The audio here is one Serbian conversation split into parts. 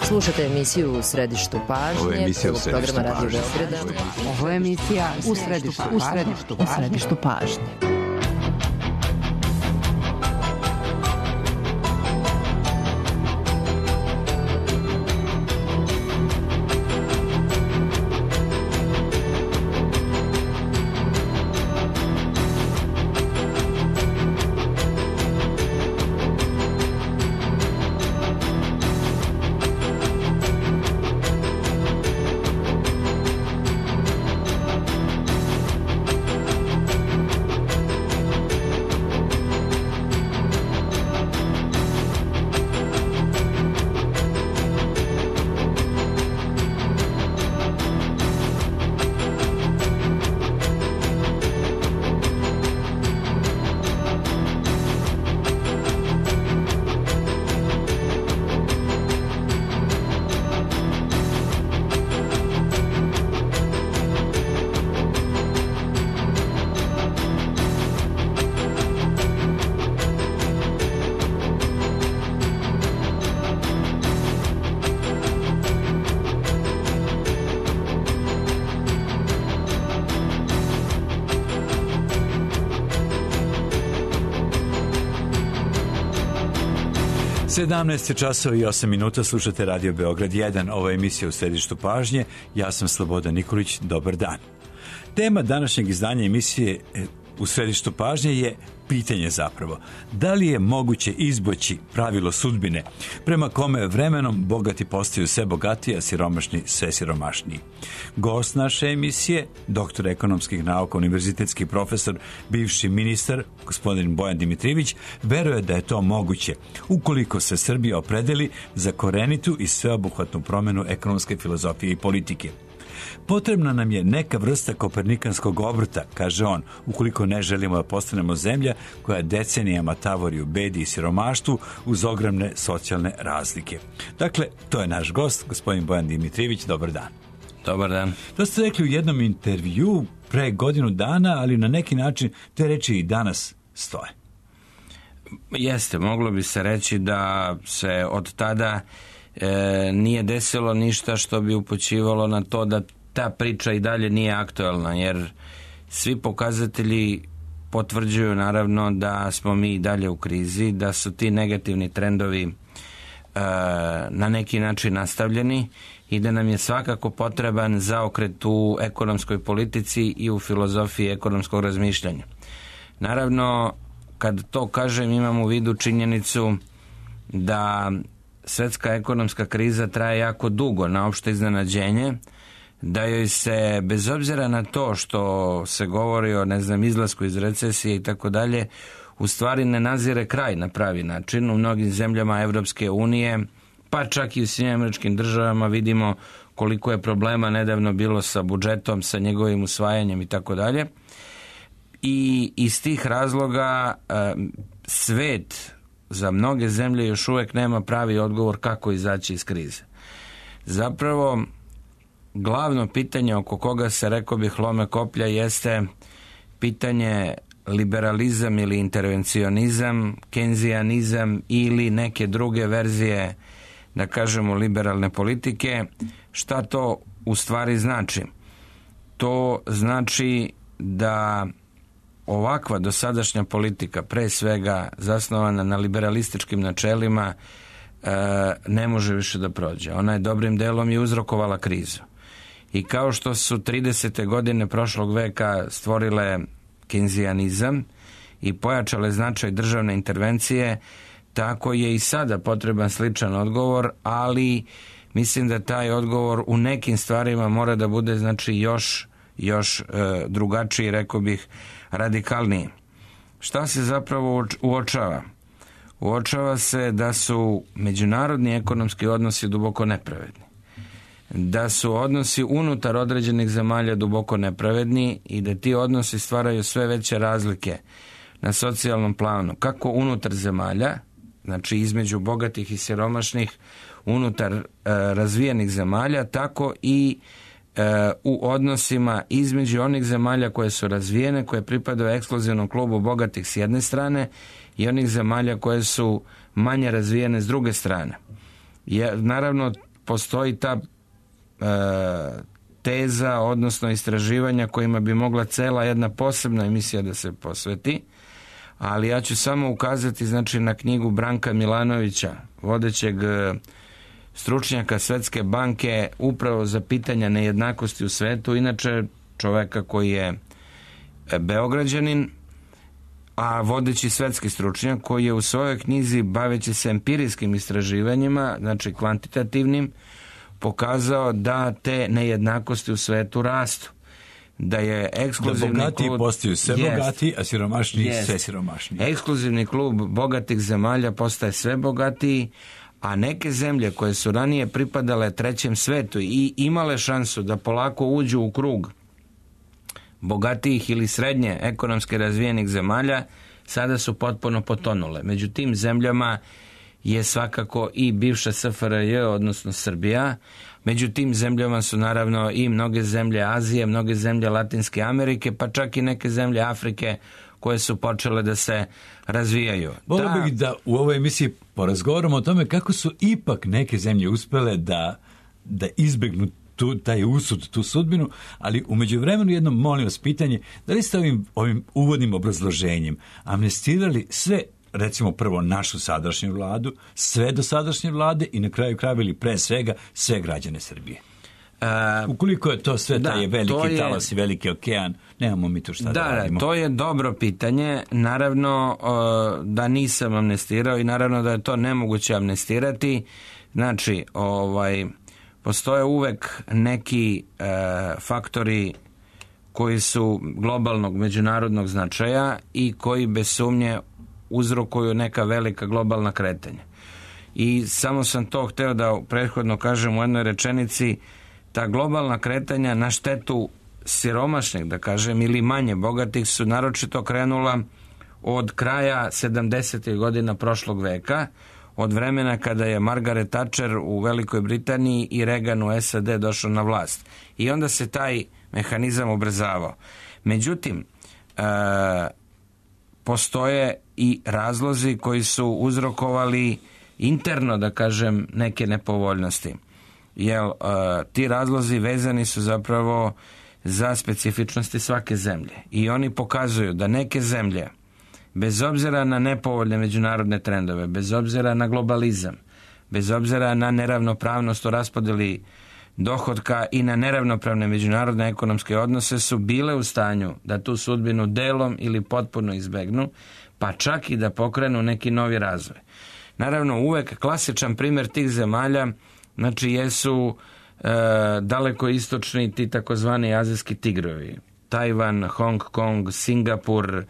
Slušate emisiju U središtu pažnje, prvog programa Radio Beograda. Ovo je emisija U središtu pažnje. časova i 8 minuta, slušate Radio Beograd 1, ovo je emisija U središtu pažnje, ja sam Slobodan Nikolić, dobar dan. Tema današnjeg izdanja emisije U središtu pažnje je pitanje zapravo, da li je moguće izboći pravilo sudbine prema kome vremenom bogati postaju sve bogatiji, a siromašni sve siromašniji. Gost naše emisije, doktor ekonomskih nauka, univerzitetski profesor, bivši ministar, gospodin Bojan Dimitrijević, veruje da je to moguće ukoliko se Srbija opredeli za korenitu i sveobuhvatnu promjenu ekonomske filozofije i politike. Potrebna nam je neka vrsta kopernikanskog obrta, kaže on, ukoliko ne želimo da postanemo zemlja koja decenijama tavori u bedi i siromaštvu uz ogromne socijalne razlike. Dakle, to je naš gost, gospodin Bojan Dimitrijević, dobar dan. Dobar dan. To ste rekli u jednom intervju pre godinu dana, ali na neki način te reči i danas stoje. Jeste, moglo bi se reći da se od tada nije desilo ništa što bi upućivalo na to da ta priča i dalje nije aktualna, jer svi pokazatelji potvrđuju naravno da smo mi i dalje u krizi, da su ti negativni trendovi na neki način nastavljeni i da nam je svakako potreban zaokret u ekonomskoj politici i u filozofiji ekonomskog razmišljanja. Naravno, kad to kažem, imam u vidu činjenicu da svetska ekonomska kriza traje jako dugo, na opšte iznenađenje, da joj se, bez obzira na to što se govori o, izlasku iz recesije i tako dalje, u stvari ne nazire kraj na pravi način. U mnogim zemljama Evropske unije, pa čak i u Sjedinjenim Američkim Državama vidimo koliko je problema nedavno bilo sa budžetom, sa njegovim usvajanjem i tako dalje. I iz tih razloga svet za mnoge zemlje još uvijek nema pravi odgovor kako izaći iz krize. Zapravo, glavno pitanje oko koga se, rekao bih, lome koplja jeste pitanje liberalizam ili intervencionizam, kenzijanizam ili neke druge verzije, da kažemo, liberalne politike. Šta to u stvari znači? To znači da ovakva dosadašnja politika, pre svega zasnovana na liberalističkim načelima, ne može više da prođe. Ona je dobrim delom i uzrokovala krizu. I kao što su 30. godine prošlog veka stvorile kenzijanizam i pojačale značaj državne intervencije, tako je i sada potreban sličan odgovor, ali mislim da taj odgovor u nekim stvarima mora da bude još drugačiji, rekao bih, radikalniji. Šta se zapravo uočava? Uočava se da su međunarodni ekonomski odnosi duboko nepravedni, da su odnosi unutar određenih zemalja duboko nepravedni i da ti odnosi stvaraju sve veće razlike na socijalnom planu, kako unutar zemalja, znači između bogatih i siromašnih, unutar razvijenih zemalja, tako i u odnosima između onih zemalja koje su razvijene, koje pripadaju ekskluzivnom klubu bogatih s jedne strane i onih zemalja koje su manje razvijene s druge strane. Naravno, postoji ta teza, odnosno istraživanja kojima bi mogla cela jedna posebna emisija da se posveti, ali ja ću samo ukazati znači na knjigu Branka Milanovića, vodećeg stručnjaka Svetske banke upravo za pitanja nejednakosti u svetu, inače čoveka koji je Beograđanin, a vodeći svetski stručnjak koji je u svojoj knjizi, baveći se empirijskim istraživanjima, znači kvantitativnim, pokazao da te nejednakosti u svetu rastu. Da je ekskluzivni da bogatiji klub postaju sve bogatiji, a siromašniji sve siromašniji. Ekskluzivni klub bogatih zemalja postaje sve bogatiji, a neke zemlje koje su ranije pripadale trećem svetu i imale šansu da polako uđu u krug bogatijih ili srednje ekonomski razvijenih zemalja, sada su potpuno potonule. Među tim zemljama je svakako i bivša SFRJ, odnosno Srbija. Među tim zemljama su naravno i mnoge zemlje Azije, mnoge zemlje Latinske Amerike, pa čak i neke zemlje Afrike koje su počele da se razvijaju. Volio bih da u ovoj emisiji porazgovaramo o tome kako su ipak neke zemlje uspele da izbegnu taj usud, tu sudbinu, ali u međuvremenu jedno molim vas pitanje, da li ste ovim uvodnim obrazloženjem amnestirali sve, recimo prvo našu sadašnju vladu, sve dosadašnje vlade i na kraju krajeva ili pre svega sve građane Srbije? Ukoliko je to sve taj veliki talas i veliki okean, nemamo mi tu šta da radimo. To je dobro pitanje. Naravno da nisam amnestirao i naravno da je to nemoguće amnestirati. Znači, postoje uvek neki faktori koji su globalnog međunarodnog značaja i koji bez sumnje uzrokuju neka velika globalna kretanja. I samo sam to hteo da prethodno kažem u jednoj rečenici, ta globalna kretanja na štetu siromašnih, da kažem, ili manje bogatih su naročito krenula od kraja 70. godina prošlog veka, od vremena kada je Margaret Thatcher u Velikoj Britaniji i Reagan u SAD došao na vlast. I onda se taj mehanizam ubrzavao. Međutim, postoje i razlozi koji su uzrokovali interno, da kažem, neke nepovoljnosti. Jer ti razlozi vezani su zapravo za specifičnosti svake zemlje. I oni pokazuju da neke zemlje, bez obzira na nepovoljne međunarodne trendove, bez obzira na globalizam, bez obzira na neravnopravnost u raspodeli dohotka i na neravnopravne međunarodne ekonomske odnose, su bile u stanju da tu sudbinu delom ili potpuno izbegnu, pa čak i da pokrenu neki novi razvoj. Naravno, uvek klasičan primjer tih zemalja, znači, jesu daleko istočni ti takozvani azijski tigrovi. Tajvan, Hong Kong, Singapur,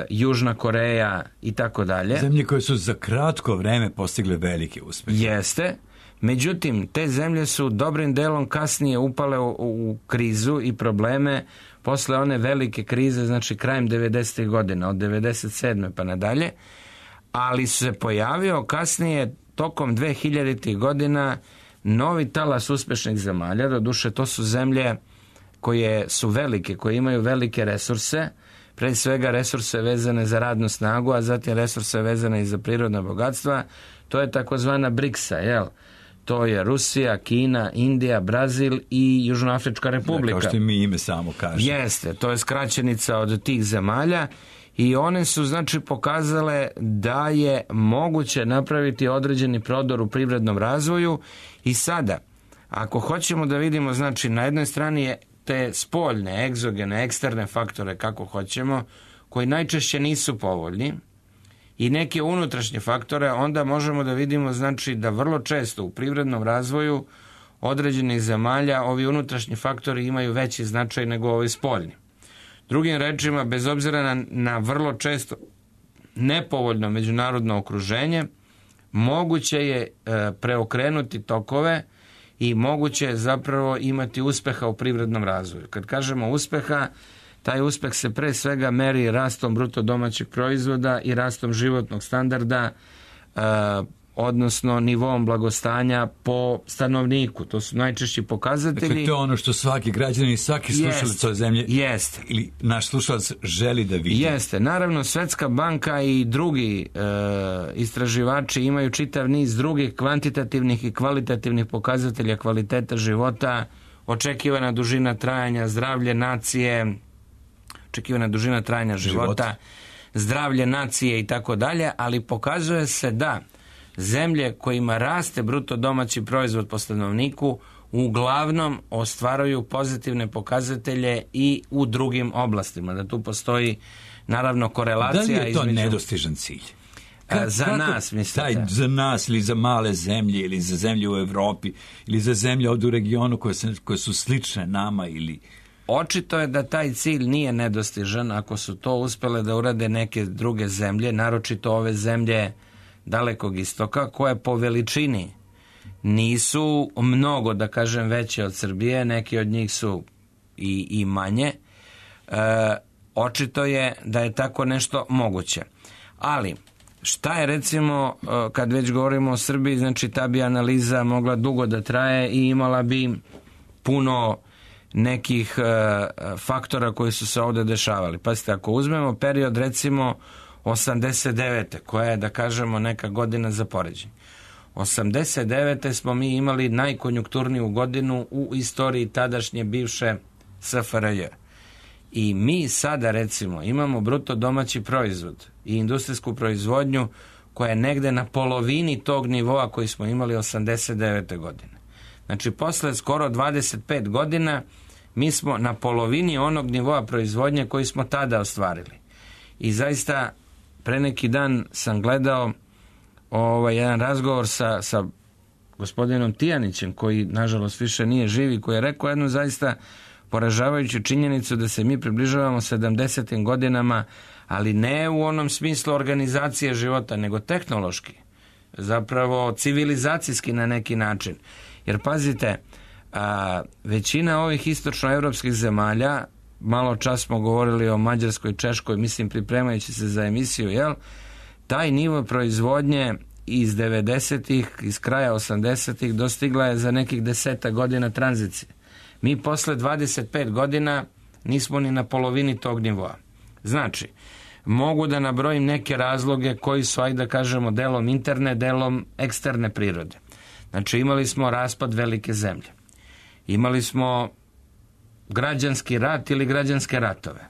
Južna Koreja i tako dalje. Zemlje koje su za kratko vreme postigle velike uspehe. Jeste. Međutim, te zemlje su dobrim delom kasnije upale u krizu i probleme posle one velike krize, znači krajem 90. godina, od 97. pa nadalje, ali se pojavio kasnije tokom 2000. godina novi talas uspešnih zemalja. Doduše, to su zemlje koje su velike, koje imaju velike resurse, pre svega resurse vezane za radnu snagu, a zatim resurse vezane i za prirodna bogatstva. To je takozvana BRICS-a, jel? To je Rusija, Kina, Indija, Brazil i Južnoafrička republika. Kao što i mi ime samo kaže. Jeste, to je skraćenica od tih zemalja i one su znači pokazale da je moguće napraviti određeni prodor u privrednom razvoju. I sada, ako hoćemo da vidimo, znači na jednoj strani je te spoljne, egzogene, eksterne faktore, kako hoćemo, koji najčešće nisu povoljni, i neke unutrašnje faktore, onda možemo da vidimo, znači, da vrlo često u privrednom razvoju određenih zemalja ovi unutrašnji faktori imaju veći značaj nego ovi spoljni. Drugim rečima, bez obzira na vrlo često nepovoljno međunarodno okruženje, moguće je preokrenuti tokove i moguće je zapravo imati uspeha u privrednom razvoju. Kad kažemo uspeha, taj uspeh se pre svega meri rastom bruto domaćeg proizvoda i rastom životnog standarda odnosno nivom blagostanja po stanovniku. To su najčešći pokazatelji. Dakle, to je ono što svaki građanin i svaki slušalac ove zemlje ili naš slušalac želi da vidi. Jeste. Naravno, Svetska banka i drugi istraživači imaju čitav niz drugih kvantitativnih i kvalitativnih pokazatelja kvaliteta života, očekivana dužina trajanja, zdravlje nacije, očekivana dužina trajanja života, zdravlje nacije i tako dalje, ali pokazuje se da zemlje kojima raste bruto domaći proizvod po stanovniku uglavnom ostvaruju pozitivne pokazatelje i u drugim oblastima. Da tu postoji naravno korelacija. Da li je to nedostižan cilj? Za nas, mislite? Za nas ili za male zemlje ili za zemlje u Evropi ili za zemlje ovdje u regionu koje su slične nama ili... Očito je da taj cilj nije nedostižan ako su to uspjele da urade neke druge zemlje, naročito ove zemlje Dalekog istoka, koje po veličini nisu mnogo, da kažem, veće od Srbije, neki od njih su i manje. Očito je da je tako nešto moguće. Ali, šta je recimo, kad već govorimo o Srbiji, znači ta bi analiza mogla dugo da traje i imala bi puno nekih faktora koji su se ovdje dešavali. Pazite, ako uzmemo period recimo 89. koja je, da kažemo, neka godina za poređenje. 89. smo mi imali najkonjunkturniju godinu u istoriji tadašnje bivše SFRJ. I mi sada recimo imamo bruto domaći proizvod i industrijsku proizvodnju koja je negde na polovini tog nivoa koji smo imali 89. godine. Znači, posle skoro 25 godina mi smo na polovini onog nivoa proizvodnje koji smo tada ostvarili. I zaista, pre neki dan sam gledao jedan razgovor sa gospodinom Tijanićem, koji nažalost više nije živi, koji je rekao jednu zaista poražavajuću činjenicu da se mi približavamo 70. godinama, ali ne u onom smislu organizacije života, nego tehnološki, zapravo civilizacijski na neki način. Jer pazite, većina ovih istočnoevropskih zemalja, malo čas smo govorili o Mađarskoj, Češkoj, mislim pripremajući se za emisiju, taj nivo proizvodnje iz 90-ih, iz kraja 80-ih dostigla je za nekih 10 godina tranzicije. Mi posle 25 godina nismo ni na polovini tog nivoa. Znači, mogu da nabrojim neke razloge koji su, ajde da kažemo, delom interne, delom eksterne prirode. Znači, imali smo raspad velike zemlje. Imali smo građanski rat ili građanske ratove.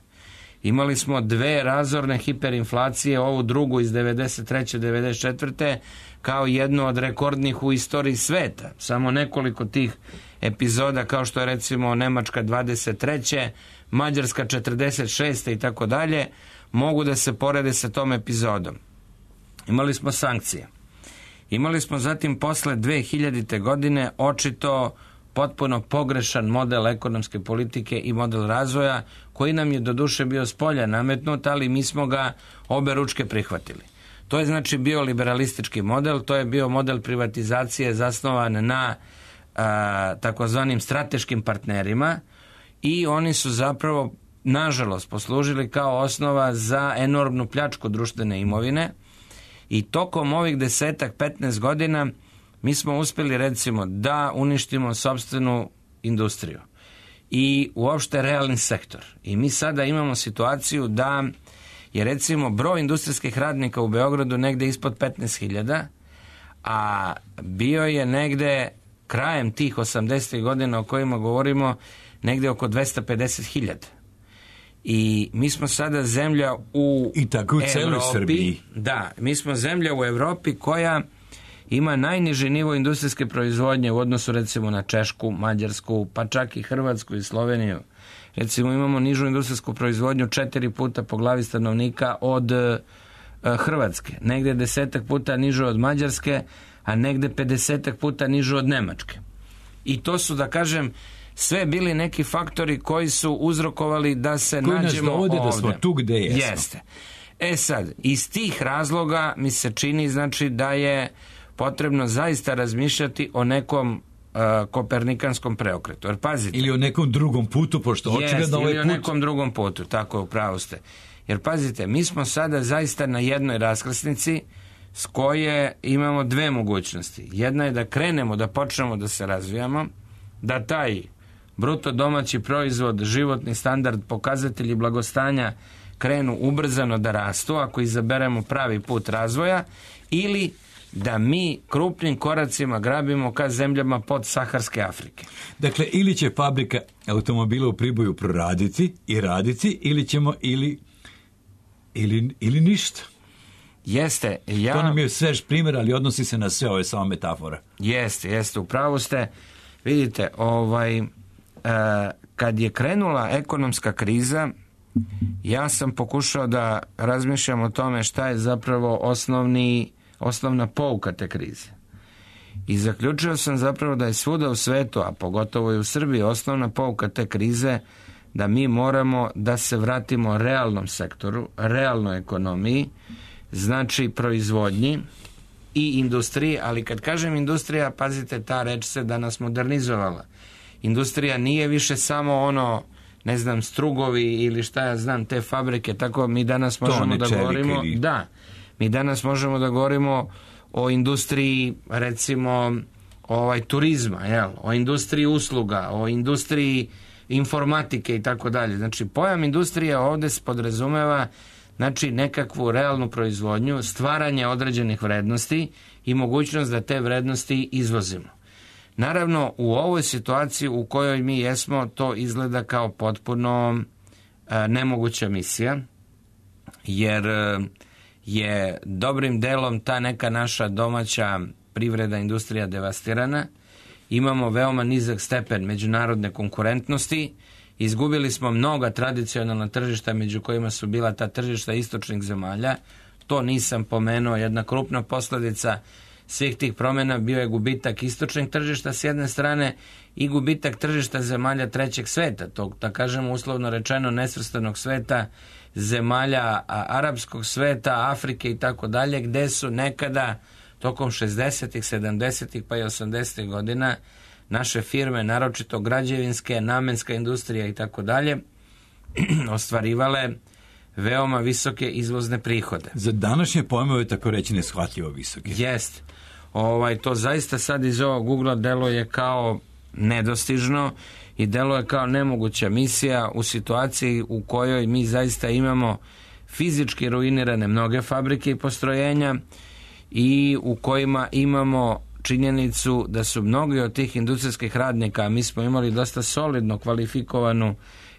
Imali smo 2 razorne hiperinflacije, ovu drugu iz 93. 94. kao jednu od rekordnih u istoriji sveta. Samo nekoliko tih epizoda, kao što je recimo Nemačka 23. Mađarska 46. i tako dalje, mogu da se porede sa tom epizodom. Imali smo sankcije. Imali smo zatim posle 2000. godine očito potpuno pogrešan model ekonomske politike i model razvoja, koji nam je doduše bio spolja nametnut, ali mi smo ga obe ručke prihvatili. To je znači bio liberalistički model, to je bio model privatizacije zasnovan na takozvanim strateškim partnerima i oni su zapravo, nažalost, poslužili kao osnova za enormnu pljačku društvene imovine i tokom ovih 10-15 godina mi smo uspjeli recimo da uništimo sopstvenu industriju i uopšte realni sektor. I mi sada imamo situaciju da je recimo broj industrijskih radnika u Beogradu negde ispod 15.000, a bio je negde krajem tih 80. godina o kojima govorimo negde oko 250.000. I mi smo sada zemlja u i tako u celoj Srbiji. Da, mi smo zemlja u Evropi koja ima najniži nivo industrijske proizvodnje u odnosu recimo na Češku, Mađarsku, pa čak i Hrvatsku i Sloveniju. Recimo imamo nižu industrijsku proizvodnju 4 puta po glavi stanovnika od Hrvatske, negdje 10 puta nižu od Mađarske, a negdje 50 puta nižu od Nemačke. I to su, da kažem, sve bili neki faktori koji su uzrokovali da se koji nađemo ovdje. Da smo tu gde jesmo. Jeste. Sad, iz tih razloga mi se čini znači da je potrebno zaista razmišljati o nekom kopernikanskom preokretu. Jer pazite. Ili o nekom drugom putu, pošto očigledno ovaj put... Ili o nekom drugom putu, tako je, upravo ste. Jer pazite, mi smo sada zaista na jednoj raskrsnici, s koje imamo dve mogućnosti. Jedna je da krenemo, da počnemo da se razvijamo, da taj bruto domaći proizvod, životni standard, pokazatelji blagostanja krenu ubrzano da rastu ako izaberemo pravi put razvoja, ili da mi krupnim koracima grabimo ka zemljama pod Saharske Afrike. Dakle, ili će fabrika automobila u Priboju proraditi i raditi, ili ćemo ili ništa. Jeste. To nam je svež primjer, ali odnosi se na sve, ovo je samo metafora. Jeste, upravo ste. Vidite, kad je krenula ekonomska kriza, ja sam pokušao da razmišljam o tome šta je zapravo osnovna pouka te krize. I zaključio sam zapravo da je svuda u svetu, a pogotovo i u Srbiji, osnovna pouka te krize da mi moramo da se vratimo realnom sektoru, realnoj ekonomiji, znači proizvodnji i industriji, ali kad kažem industrija, pazite, ta reč se danas modernizovala. Industrija nije više samo strugovi ili šta ja znam, te fabrike, tako mi danas možemo da govorimo. Da, mi danas možemo da govorimo o industriji, recimo, turizma, o industriji usluga, o industriji informatike i tako dalje. Znači, pojam industrije ovdje se podrazumeva nekakvu realnu proizvodnju, stvaranje određenih vrednosti i mogućnost da te vrednosti izvozimo. Naravno, u ovoj situaciji u kojoj mi jesmo, to izgleda kao potpuno nemoguća misija, jer je dobrim delom ta neka naša domaća privreda, industrija devastirana. Imamo veoma nizak stepen međunarodne konkurentnosti. Izgubili smo mnoga tradicionalna tržišta, među kojima su bila ta tržišta istočnih zemalja. To nisam pomenuo. Jedna krupna posljedica svih tih promjena bio je gubitak istočnih tržišta s jedne strane i gubitak tržišta zemalja trećeg sveta, tog, da kažemo uslovno rečeno, nesvrstanog sveta, zemalja arapskog sveta, Afrike i tako dalje, gde su nekada tokom 60-ih, 70-ih pa i 80-ih godina naše firme, naročito građevinske, namenska industrija i tako dalje, ostvarivale veoma visoke izvozne prihode. Za današnje pojmove tako reći neshvatljivo visoke. Jest. To zaista sad iz ovog Google-a deluje kao nedostižno i deluje kao nemoguća misija u situaciji u kojoj mi zaista imamo fizički ruinirane mnoge fabrike i postrojenja i u kojima imamo činjenicu da su mnogi od tih industrijskih radnika, a mi smo imali dosta solidno kvalifikovanu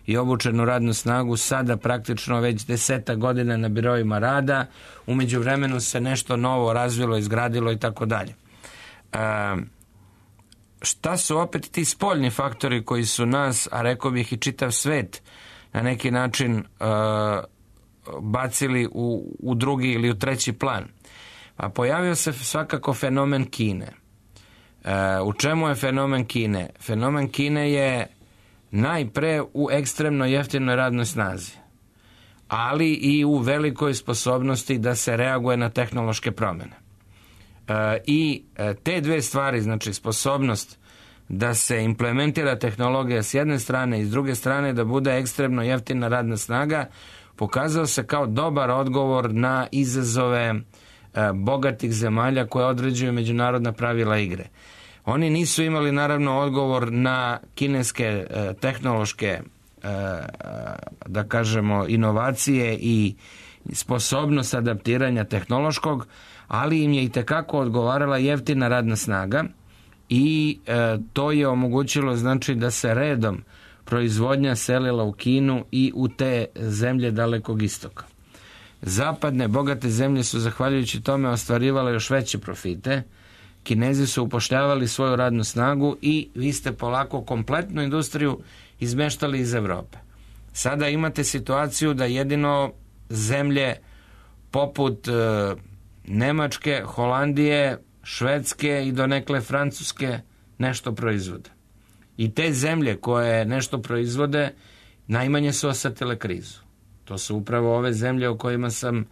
i obučenu radnu snagu, sada praktično već 10 godina na biroima rada, u međuvremenu se nešto novo razvilo, izgradilo i tako dalje. Šta su opet ti spoljni faktori koji su nas, a rekao bih i čitav svet, na neki način bacili u drugi ili u treći plan? A pojavio se svakako fenomen Kine. U čemu je fenomen Kine? Fenomen Kine je najpre u ekstremno jeftinoj radnoj snazi, ali i u velikoj sposobnosti da se reaguje na tehnološke promjene. I te dve stvari, znači sposobnost da se implementira tehnologija s jedne strane i s druge strane da bude ekstremno jeftina radna snaga, pokazao se kao dobar odgovor na izazove bogatih zemalja koje određuju međunarodna pravila igre. Oni nisu imali naravno odgovor na kineske tehnološke, da kažemo, inovacije i sposobnost adaptiranja tehnološkog, ali im je itekako odgovarala jeftina radna snaga i to je omogućilo znači da se redom proizvodnja selila u Kinu i u te zemlje Dalekog istoka. Zapadne bogate zemlje su zahvaljujući tome ostvarivale još veće profite. Kinezi su upošljavali svoju radnu snagu i vi ste polako kompletnu industriju izmeštali iz Evrope. Sada imate situaciju da jedino zemlje poput Nemačke, Holandije, Švedske i donekle Francuske nešto proizvode. I te zemlje koje nešto proizvode najmanje su osetile krizu. To su upravo ove zemlje o kojima sam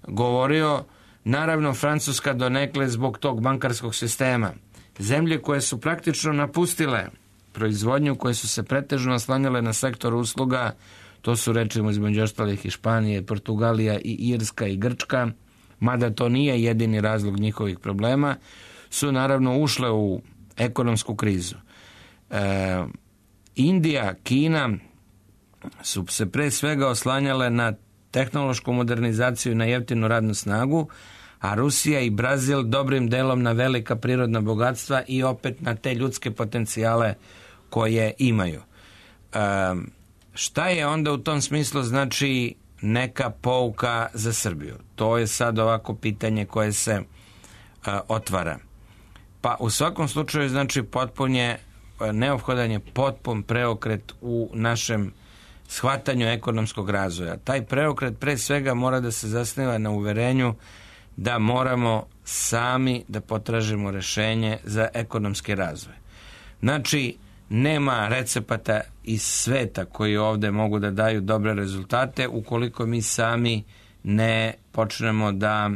govorio. Naravno, Francuska donekle zbog tog bankarskog sistema. Zemlje koje su praktično napustile proizvodnju, koje su se pretežno oslanjale na sektor usluga, to su recimo između ostalih i Španije, Portugalija i Irska i Grčka, mada to nije jedini razlog njihovih problema, su naravno ušle u ekonomsku krizu. Indija, Kina su se pre svega oslanjale na tehnološku modernizaciju i na jeftinu radnu snagu, a Rusija i Brazil dobrim delom na velika prirodna bogatstva i opet na te ljudske potencijale koje imaju. Šta je onda u tom smislu znači neka pouka za Srbiju? To je sad ovako pitanje koje se otvara. Pa u svakom slučaju znači neophodan je potpun preokret u našem shvatanju ekonomskog razvoja. Taj preokret pre svega mora da se zasniva na uverenju da moramo sami da potražimo rešenje za ekonomski razvoj. Znači, nema recepata iz sveta koji ovde mogu da daju dobre rezultate ukoliko mi sami ne počnemo da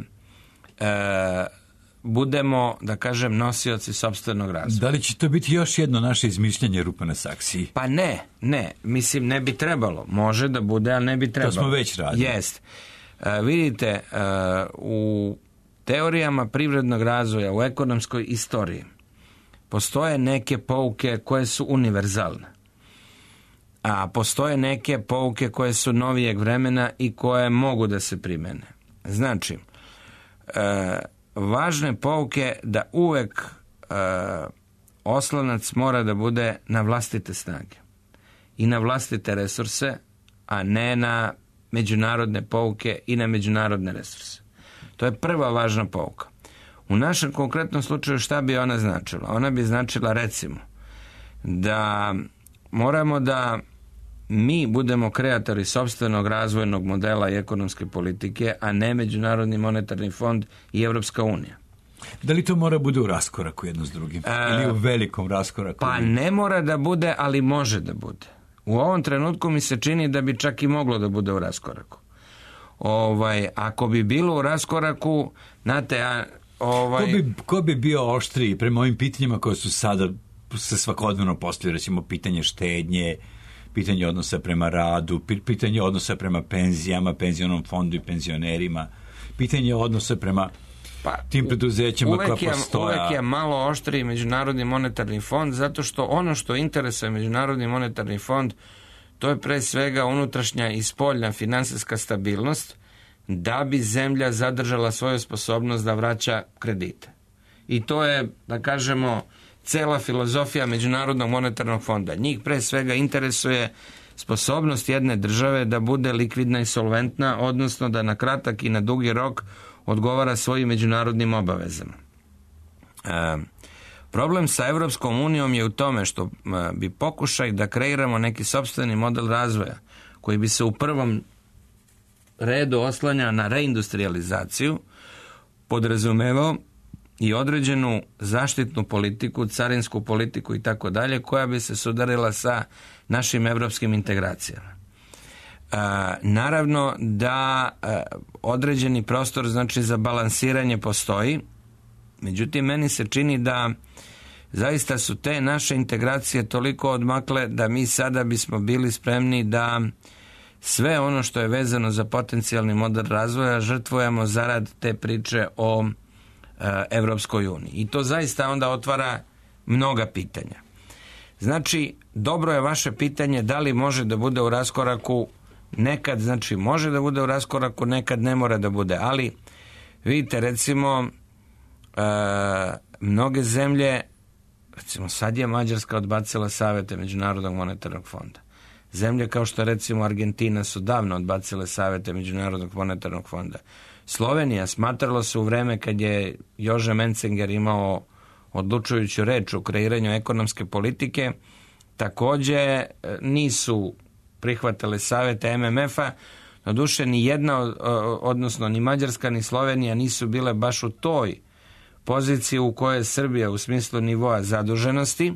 budemo, da kažem, nosioci sopstvenog razvoja. Da li će to biti još jedno naše izmišljanje rupa na saksiji? Pa ne. Mislim, ne bi trebalo. Može da bude, ali ne bi trebalo. To smo već radili. Jest. Vidite, u teorijama privrednog razvoja, u ekonomskoj istoriji, postoje neke pouke koje su univerzalne, a postoje neke pouke koje su novijeg vremena i koje mogu da se primene. Znači, važne pouke da uvek oslonac mora da bude na vlastite snage i na vlastite resurse, a ne na međunarodne pouke i na međunarodne resurse. To je prva važna pouka. U našem konkretnom slučaju šta bi ona značila? Ona bi značila recimo da moramo da mi budemo kreatori sopstvenog razvojnog modela i ekonomske politike, a ne Međunarodni monetarni fond i Evropska unija. Da li to mora bude u raskoraku jedno s drugim? Ili u velikom raskoraku? Pa ne mora da bude, ali može da bude. U ovom trenutku mi se čini da bi čak i moglo da bude u raskoraku. Ako bi bilo u raskoraku, znate, Ko bi bio oštriji prema ovim pitanjima koje su sada se svakodnevno postavljaju, recimo pitanje štednje, pitanje odnosa prema radu, pitanje odnosa prema penzijama, penzionom fondu i penzionerima, pitanje odnosa prema tim preduzećima koja postoja. Uvek je malo oštriji Međunarodni monetarni fond, zato što ono što interesuje Međunarodni monetarni fond, to je pre svega unutrašnja i spoljna finansijska stabilnost, da bi zemlja zadržala svoju sposobnost da vraća kredite. I to je, da kažemo, cela filozofija Međunarodnog monetarnog fonda. Njih pre svega interesuje sposobnost jedne države da bude likvidna i solventna, odnosno da na kratak i na dugi rok odgovara svojim međunarodnim obavezama. Problem sa Evropskom unijom je u tome što bi pokušaj da kreiramo neki sopstveni model razvoja koji bi se u prvom redu oslanjao na reindustrializaciju, podrazumevao i određenu zaštitnu politiku, carinsku politiku i tako dalje, koja bi se sudarila sa našim evropskim integracijama. Naravno da određeni prostor, znači, za balansiranje postoji, međutim meni se čini da zaista su te naše integracije toliko odmakle da mi sada bismo bili spremni da sve ono što je vezano za potencijalni model razvoja žrtvujemo zarad te priče o Evropskoj uniji. I to zaista onda otvara mnoga pitanja. Znači, dobro je vaše pitanje da li može da bude u raskoraku. Nekad, znači, može da bude u raskoraku, nekad ne mora da bude. Ali, vidite, recimo, mnoge zemlje, recimo sad je Mađarska odbacila savete Međunarodnog monetarnog fonda. Zemlje kao što recimo Argentina su davno odbacile savete Međunarodnog monetarnog fonda. Slovenija, smatralo se u vreme kad je Jože Menzinger imao odlučujuću reč u kreiranju ekonomske politike, takođe nisu prihvatale savete MMF-a. Doduše ni jedna, odnosno ni Mađarska ni Slovenija nisu bile baš u toj poziciji u kojoj je Srbija u smislu nivoa zaduženosti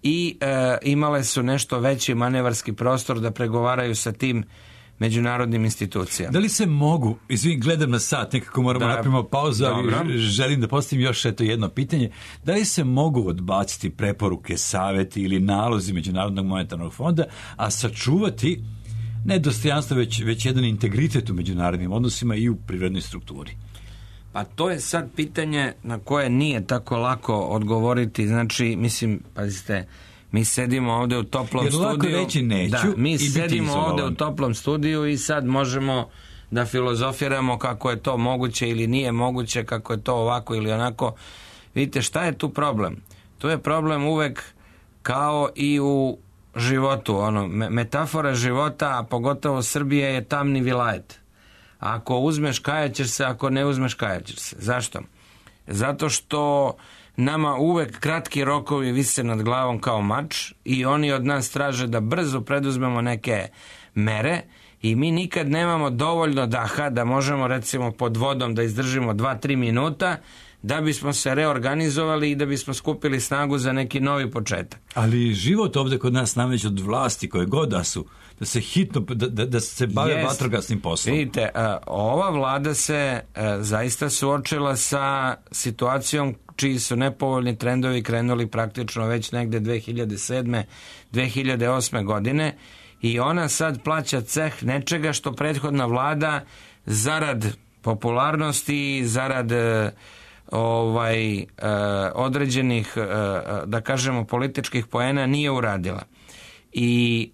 i imale su nešto veći manevarski prostor da pregovaraju sa tim međunarodnim institucijama. Da li se mogu, gledam na sat, nekako moramo napravimo pauzu, ali želim da postavim još jedno pitanje, da li se mogu odbaciti preporuke, saveti ili nalozi Međunarodnog monetarnog fonda, a sačuvati ne dostojanstvo, već jedan integritet u međunarodnim odnosima i u privrednoj strukturi? Pa to je sad pitanje na koje nije tako lako odgovoriti. Znači, mislim, pazite, mi sedimo ovde u toplom jer studiju. Jer lako reći neću da, mi sedimo ovde u toplom studiju i sad možemo da filozofiramo kako je to moguće ili nije moguće, kako je to ovako ili onako. Vidite, šta je tu problem? Tu je problem uvek kao i u životu. Metafora života, a pogotovo Srbije, je tamni vilajet. Ako uzmeš, kajaćeš se, ako ne uzmeš, kajaćeš se. Zašto? Zato što nama uvek kratki rokovi vise nad glavom kao mač i oni od nas traže da brzo preduzmemo neke mere i mi nikad nemamo dovoljno daha da možemo, recimo, pod vodom da izdržimo 2-3 minuta da bismo se reorganizovali i da bismo skupili snagu za neki novi početak. Ali život ovde kod nas nameće od vlasti koje god da su, da se hitno, da se bave vatrogasnim poslom. Vidite, ova vlada se zaista suočila sa situacijom čiji su nepovoljni trendovi krenuli praktično već negde 2007. 2008. godine i ona sad plaća ceh nečega što prethodna vlada zarad popularnosti, zarad određenih, da kažemo, političkih poena nije uradila. I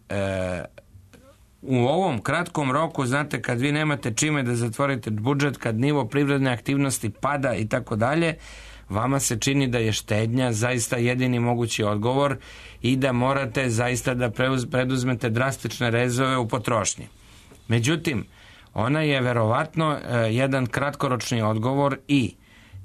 u ovom kratkom roku, znate, kad vi nemate čime da zatvorite budžet, kad nivo privredne aktivnosti pada i tako dalje, vama se čini da je štednja zaista jedini mogući odgovor i da morate zaista da preduzmete drastične rezove u potrošnji. Međutim, ona je verovatno jedan kratkoročni odgovor i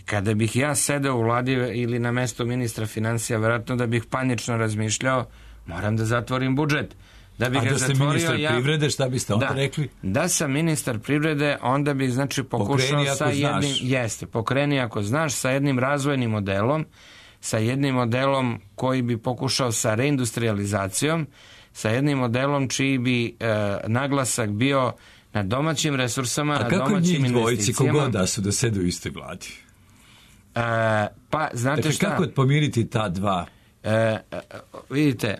kada bih ja sedeo u vladi ili na mesto ministra finansija, verovatno da bih panično razmišljao, moram da zatvorim budžet. Da bih da ste ministar privrede, šta biste onda rekli? Da sam ministar privrede, onda bih, znači, pokušao sa jednim... Jeste, pokreni ako znaš, sa jednim razvojnim modelom, sa jednim modelom koji bi pokušao sa reindustrializacijom, sa jednim modelom čiji bi naglasak bio na domaćim resursama, na domaćim investicijama. A kako njih dvojici, kogod da su da sede u istoj vladi? Pa, znate dakle, šta? Kako pomiriti ta dva? Vidite,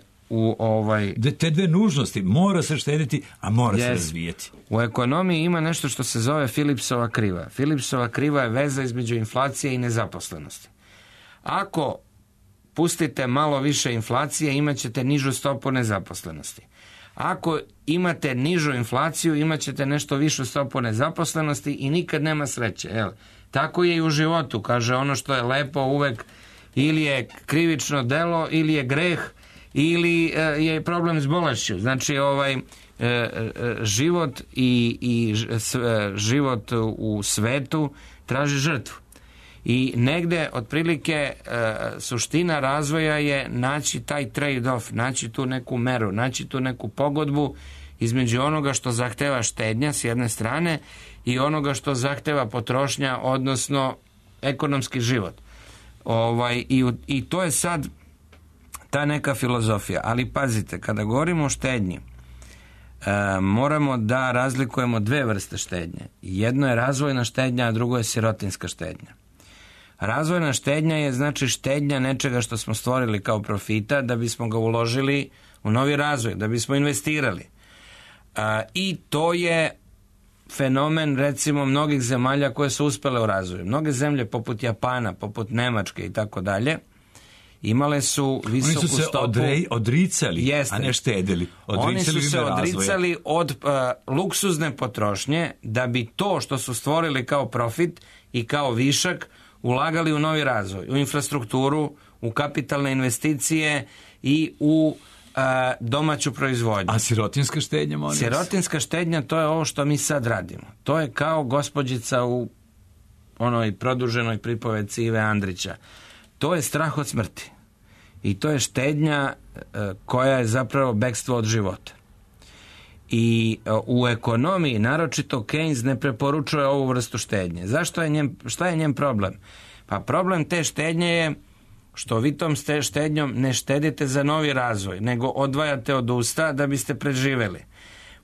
te dve nužnosti, mora se štediti, a mora se razvijeti. U ekonomiji ima nešto što se zove Philipsova kriva. Philipsova kriva je veza između inflacije i nezaposlenosti. Ako pustite malo više inflacije, imat ćete nižu stopu nezaposlenosti. Ako imate nižu inflaciju, imat ćete nešto višu stopu nezaposlenosti i nikad nema sreće. Tako je i u životu. Kaže, ono što je lepo uvek ili je krivično delo, ili je greh, ili je problem s bolešću. Znači, život i život u svetu traži žrtvu. I negde, otprilike, suština razvoja je naći taj trade-off, naći tu neku meru, naći tu neku pogodbu između onoga što zahteva štednja s jedne strane i onoga što zahteva potrošnja, odnosno ekonomski život. I to je sad ta neka filozofija. Ali pazite, kada govorimo o štednji, moramo da razlikujemo dve vrste štednje. Jedno je razvojna štednja, a drugo je sirotinska štednja. Razvojna štednja je, znači, štednja nečega što smo stvorili kao profita da bismo ga uložili u novi razvoj, da bismo investirali. I to je fenomen, recimo, mnogih zemalja koje su uspele u razvoju. Mnoge zemlje poput Japana, poput Nemačke i tako dalje, imale su visoku stopu... Oni su se odricali, a ne štedili. Oni su se odricali od luksuzne potrošnje da bi to što su stvorili kao profit i kao višak ulagali u novi razvoj, u infrastrukturu, u kapitalne investicije i u domaću proizvodnju. A sirotinska štednja, molim vas? Sirotinska štednja, to je ovo što mi sad radimo. To je kao gospođica u onoj produženoj pripovedci Ive Andrića. To je strah od smrti. I to je štednja koja je zapravo bekstvo od života. I u ekonomiji, naročito Keynes, ne preporučuje ovu vrstu štednje. Šta je njen problem? Pa problem te štednje je što vi tom štednjom ne štedite za novi razvoj, nego odvajate od usta da biste preživeli.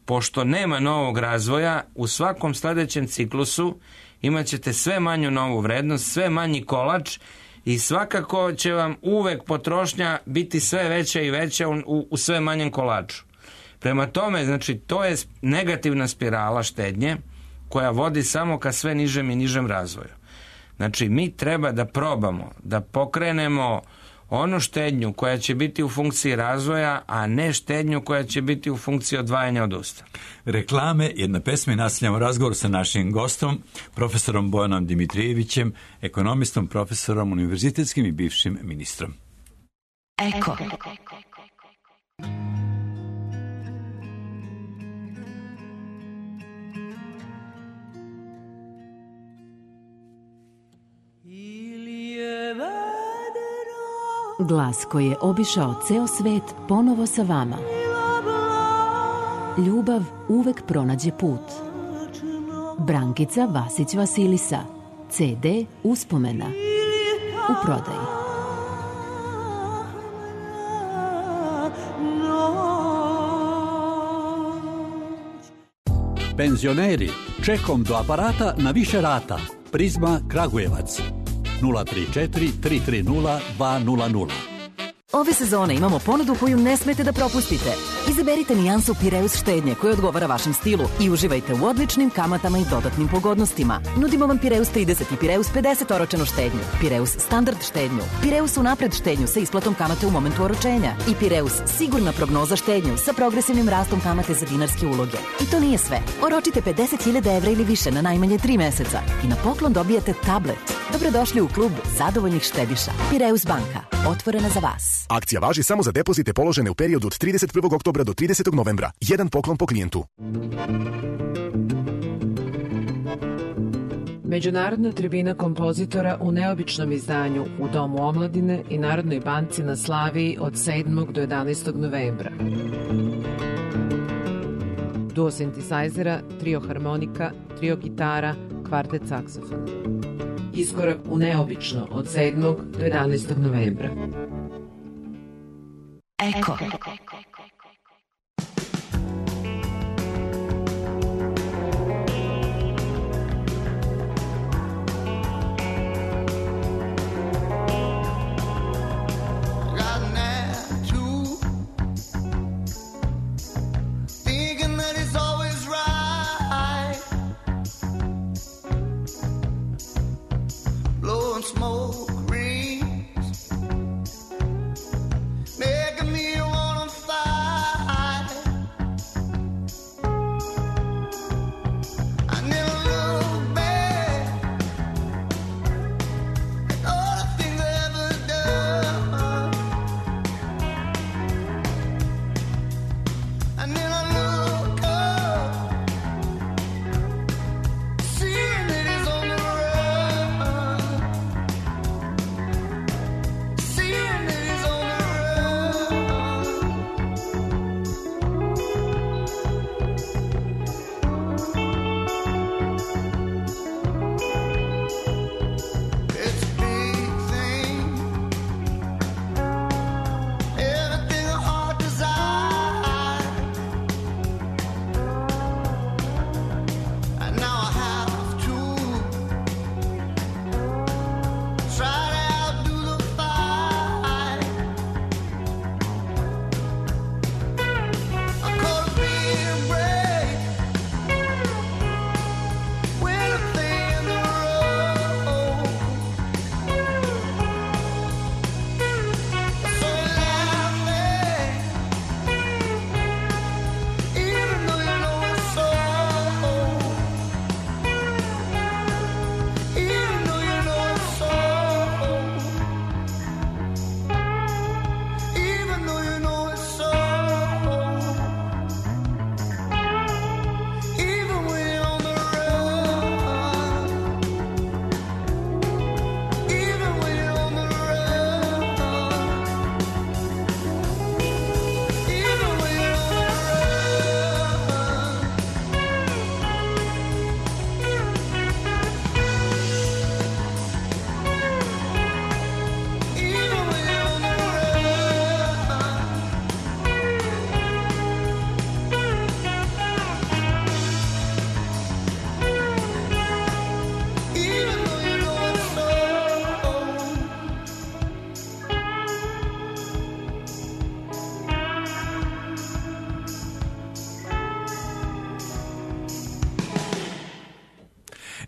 Pošto nema novog razvoja, u svakom sledećem ciklusu imat ćete sve manju novu vrednost, sve manji kolač i svakako će vam uvek potrošnja biti sve veća i veća u sve manjem kolaču. Prema tome, znači, to je negativna spirala štednje koja vodi samo ka sve nižem i nižem razvoju. Znači, mi treba da probamo, da pokrenemo onu štednju koja će biti u funkciji razvoja, a ne štednju koja će biti u funkciji odvajanja od usta. Reklame, jedna pesma i nastavljamo razgovor sa našim gostom, profesorom Bojanom Dimitrijevićem, ekonomistom, profesorom, univerzitetskim i bivšim ministrom. Eko. Glas koji je obišao ceo svet ponovo sa vama. Ljubav uvek pronađe put. Brankica Vasić Vasilisa. CD Uspomena. U prodaji. Penzioneri, čekom do aparata na više rata. Prizma Kragujevac. 034 330 200. Ove sezone imamo ponudu koju ne smete da propustite. Izaberite nijansu Pireus štednje koja odgovara vašem stilu i uživajte u odličnim kamatama i dodatnim pogodnostima. Nudimo vam Pireus 30 i Pireus 50 oročenu štednju, Pireus standard štednju, Pireus unapred štednju sa isplatom kamate u momentu oročenja i Pireus sigurna prognoza štednju sa progresivnim rastom kamate za dinarske uloge. I to nije sve. Oročite 50.000 evra ili više na najmanje 3 meseca i na poklon dobijate tablet. Dobrodošli u klub zadovoljnih štediša. Pireus banka. Otvorena za vas. Akcija važi samo za depozite položene u periodu od 31. oktobra do 30. novembra. Jedan poklon po klijentu. Međunarodna tribina kompozitora u neobičnom izdanju u Domu omladine i Narodnoj banci na Slaviji od 7. do 11. novembra. Duo sintesajzera, trio harmonika, trio gitara, kvartet saksofona. Iskorak u neobično od 7. do 11. novembra. Eko. Smoke rings, making me wanna fight. I never look back at all the things I ever done. And then I look up, seeing that it's on the run.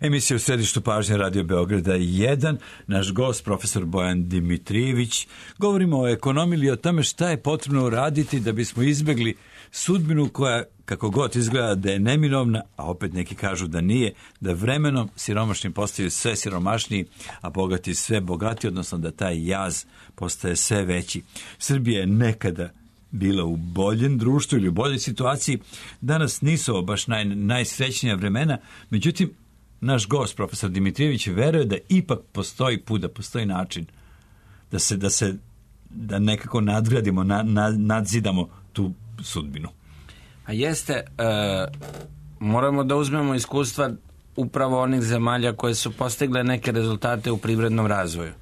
Emisija u središtu pažnje Radio Beograda 1. Naš gost, profesor Bojan Dimitrijević. Govorimo o ekonomiji i o tome šta je potrebno uraditi da bismo izbjegli sudbinu koja, kako god izgleda da je neminovna, a opet neki kažu da nije, da vremenom siromašni postaju sve siromašniji, a bogati sve bogati, odnosno da taj jaz postaje sve veći. Srbija je nekada bila u boljem društvu ili u boljoj situaciji. Danas nisu baš najsrećnija vremena, međutim, naš gost, profesor Dimitrijević, veruje da ipak postoji put, da postoji način da nekako nadgradimo, nadzidamo tu sudbinu. A jeste, moramo da uzmemo iskustva upravo onih zemalja koje su postigle neke rezultate u privrednom razvoju.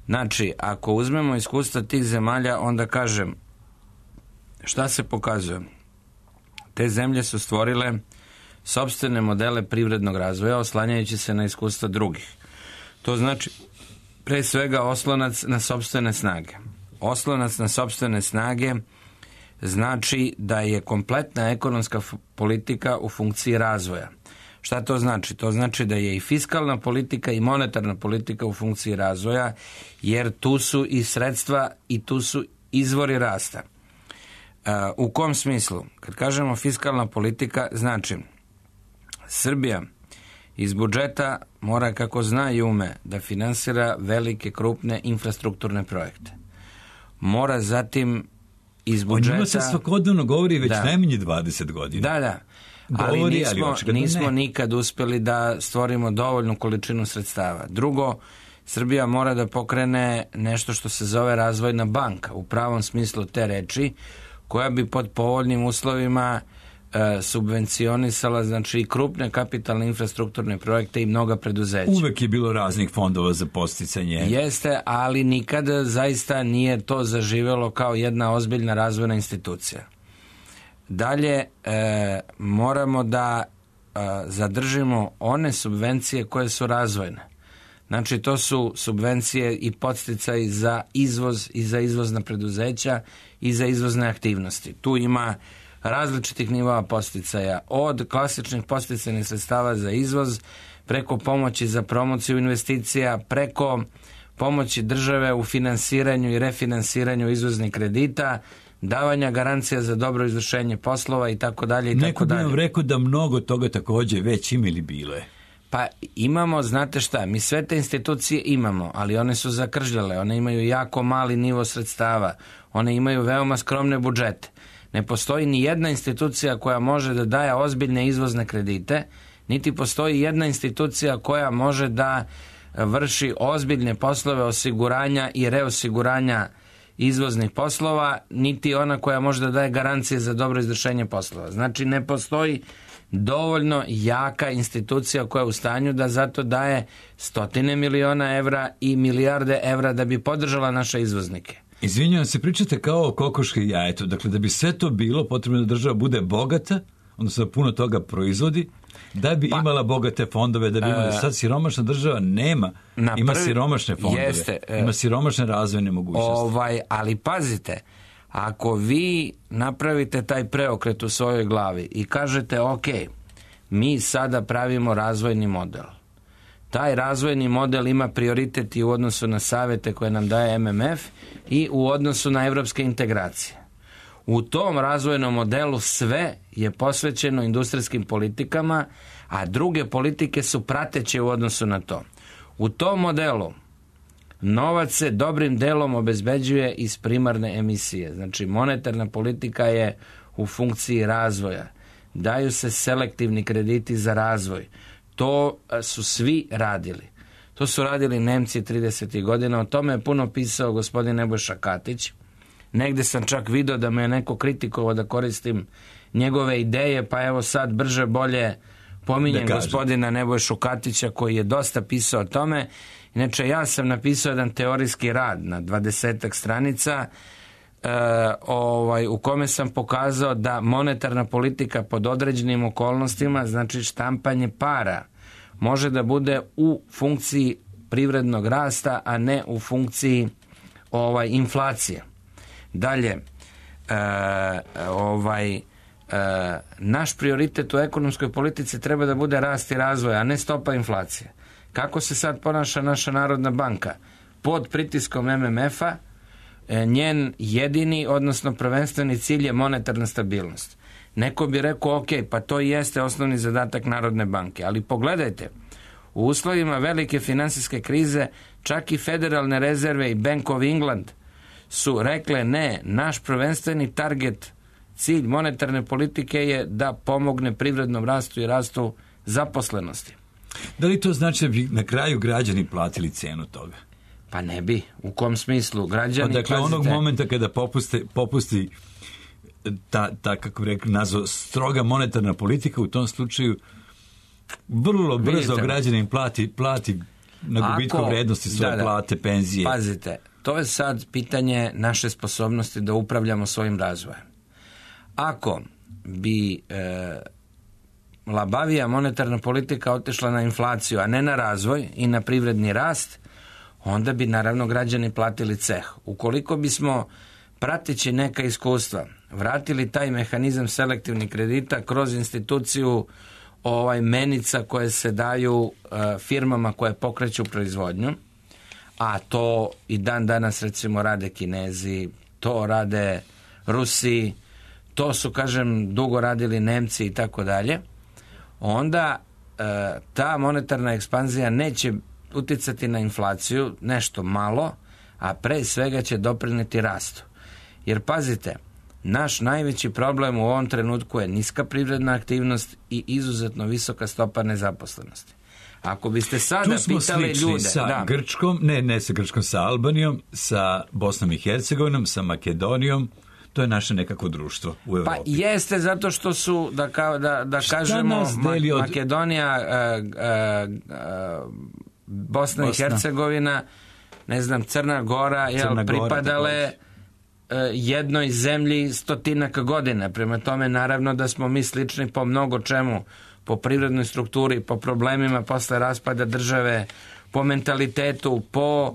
Znači, ako uzmemo iskustva tih zemalja, onda kažem, šta se pokazuje? Te zemlje su stvorile sopstvene modele privrednog razvoja, oslanjajući se na iskustva drugih. To znači, pre svega, oslonac na sopstvene snage. Oslonac na sopstvene snage znači da je kompletna ekonomska politika u funkciji razvoja. Šta to znači? To znači da je i fiskalna politika i monetarna politika u funkciji razvoja, jer tu su i sredstva i tu su izvori rasta. U kom smislu? Kad kažemo fiskalna politika, znači Srbija iz budžeta mora, kako zna i ume, da finansira velike, krupne infrastrukturne projekte. Mora zatim iz budžeta... O njima se svakodnevno govori već najmanje 20 godina. Da. Ali nismo nikad uspjeli da stvorimo dovoljnu količinu sredstava. Drugo, Srbija mora da pokrene nešto što se zove razvojna banka, u pravom smislu te reči, koja bi pod povoljnim uslovima subvencionisala, znači, i krupne kapitalne infrastrukturne projekte i mnoga preduzeća. Uvek je bilo raznih fondova za podsticanje. Jeste, ali nikad zaista nije to zaživjelo kao jedna ozbiljna razvojna institucija. Dalje, moramo da zadržimo one subvencije koje su razvojne. Znači, to su subvencije i podsticaji za izvoz i za izvozna preduzeća i za izvozne aktivnosti. Tu ima različitih nivoa podsticaja, od klasičnih podsticajnih sredstava za izvoz, preko pomoći za promociju investicija, preko pomoći države u finansiranju i refinansiranju izvoznih kredita, davanja garancija za dobro izvršenje poslova i tako dalje. Neko bi vam rekao da mnogo toga također već ima ili bilo je. Pa imamo, znate šta, mi sve te institucije imamo, ali one su zakržljale, one imaju jako mali nivo sredstava, one imaju veoma skromne budžete. Ne postoji ni jedna institucija koja može da daje ozbiljne izvozne kredite, niti postoji jedna institucija koja može da vrši ozbiljne poslove osiguranja i reosiguranja izvoznih poslova, niti ona koja može da daje garancije za dobro izvršenje poslova. Znači, ne postoji dovoljno jaka institucija koja je u stanju da zato daje stotine miliona evra i milijarde evra da bi podržala naše izvoznike. Izvinjavam se, pričate kao o kokoški jajetu. Dakle, da bi sve to bilo, potrebno da država bude bogata, odnosno da puno toga proizvodi, da bi imala bogate fondove, da bi imala. Sad siromašna država nema. Ima siromašne fondove, ima siromašne razvojne mogućnosti. Ali pazite, ako vi napravite taj preokret u svojoj glavi i kažete, ok, mi sada pravimo razvojni model. Taj razvojni model ima prioritet i u odnosu na savjete koje nam daje MMF i u odnosu na evropske integracije. U tom razvojnom modelu sve je posvećeno industrijskim politikama, a druge politike su prateće u odnosu na to. U tom modelu novac se dobrim delom obezbeđuje iz primarne emisije. Znači, monetarna politika je u funkciji razvoja. Daju se selektivni krediti za razvoj. To su svi radili. To su radili Nemci 30. godina. O tome je puno pisao gospodin Nebojša Katić. Negde sam čak video da me je neko kritikovao da koristim njegove ideje, pa evo sad brže bolje pominjem gospodina Nebojšu Katića koji je dosta pisao o tome. Inače, ja sam napisao jedan teorijski rad na 20 stranica u kome sam pokazao da monetarna politika pod određenim okolnostima, znači štampanje para, može da bude u funkciji privrednog rasta, a ne u funkciji inflacije. Dalje, naš prioritet u ekonomskoj politici treba da bude rast i razvoj, a ne stopa inflacije. Kako se sad ponaša naša Narodna banka? Pod pritiskom MMF-a njen jedini, odnosno prvenstveni cilj je monetarna stabilnost. Neko bi rekao, ok, pa to jeste osnovni zadatak Narodne banke, ali pogledajte, u uslovima velike finansijske krize čak i Federalne rezerve i Bank of England su rekle ne, naš prvenstveni target, cilj monetarne politike je da pomogne privrednom rastu i rastu zaposlenosti. Da li to znači da bi na kraju građani platili cenu toga? Pa ne bi. U kom smislu? Građani, dakle, onog momenta kada popusti ta kako bi rekli, nazvao stroga monetarna politika, u tom slučaju vrlo brzo građanin plati na gubitku vrednosti svoje plate, penzije. Pazite, to je sad pitanje naše sposobnosti da upravljamo svojim razvojem. Ako bi labavija monetarna politika otišla na inflaciju, a ne na razvoj i na privredni rast, onda bi naravno građani platili ceh. Ukoliko bismo, prateći neka iskustva, vratili taj mehanizam selektivnih kredita kroz instituciju menica koje se daju firmama koje pokreću proizvodnju, a to i dan danas recimo rade Kinezi, to rade Rusi, to su, kažem, dugo radili Nemci i tako dalje, onda ta monetarna ekspanzija neće uticati na inflaciju, nešto malo, a pre svega će doprineti rastu. Jer pazite, naš najveći problem u ovom trenutku je niska privredna aktivnost i izuzetno visoka stopa nezaposlenosti. Ako biste sada pitali ljude... sa Grčkom, ne sa Grčkom, sa Albanijom, sa Bosnom i Hercegovinom, sa Makedonijom, to je naše nekako društvo u Evropi. Pa jeste, zato što su, da kažemo, Makedonija, Bosna i Hercegovina, ne znam, Crna Gora, pripadale jednoj zemlji stotinaka godina. Prema tome, naravno da smo mi slični po mnogo čemu, po privrednoj strukturi, po problemima posle raspada države, po mentalitetu, po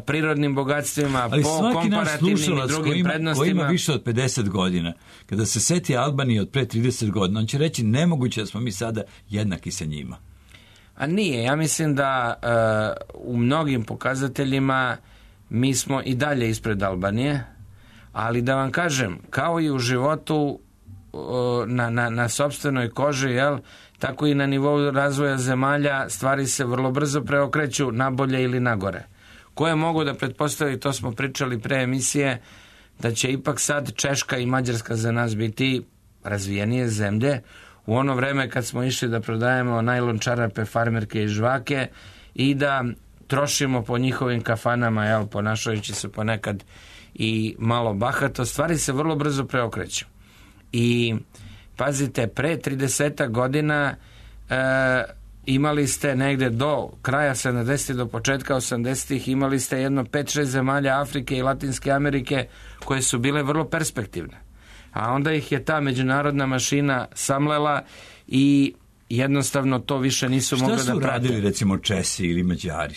prirodnim bogatstvima, ali po komparativnim i drugim prednostima. Koji ima više od 50 godina, kada se seti Albanije od pre 30 godina, on će reći nemoguće da smo mi sada jednaki sa njima. A nije. Ja mislim da u mnogim pokazateljima mi smo i dalje ispred Albanije, ali da vam kažem, kao i u životu na sopstvenoj koži, tako i na nivou razvoja zemalja stvari se vrlo brzo preokreću na bolje ili na gore. Koje mogu da pretpostavi, to smo pričali pre emisije, da će ipak sad Češka i Mađarska za nas biti razvijenije zemlje. U ono vreme kad smo išli da prodajemo najlon čarape, farmerke i žvake i da trošimo po njihovim kafanama, ponašajući se ponekad i malo bahato, stvari se vrlo brzo preokreću. I pazite, pre 30 godina imali ste negde do kraja 70. do početka 80. imali ste jedno 5-6 zemalja Afrike i Latinske Amerike koje su bile vrlo perspektivne. A onda ih je ta međunarodna mašina samlela i jednostavno to više nisu mogli da prate. Šta su radili recimo Česi ili Mađari?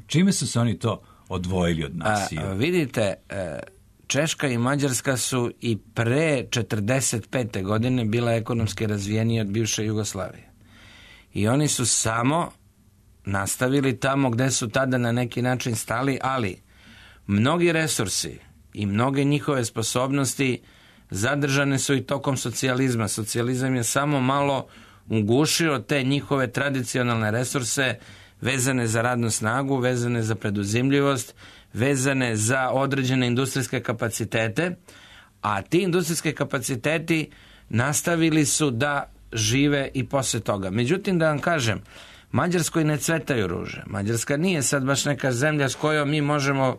Čime su se oni to odvojili od nas? Vidite, Češka i Mađarska su i pre 45. godine bila ekonomski razvijenije od bivše Jugoslavije. I oni su samo nastavili tamo gde su tada na neki način stali, ali mnogi resursi i mnoge njihove sposobnosti zadržane su i tokom socijalizma. Socijalizam je samo malo ugušio te njihove tradicionalne resurse vezane za radnu snagu, vezane za preduzimljivost, vezane za određene industrijske kapacitete, a ti industrijske kapaciteti nastavili su da žive i posle toga. Međutim, da vam kažem, Mađarskoj ne cvetaju ruže. Mađarska nije sad baš neka zemlja s kojom mi možemo,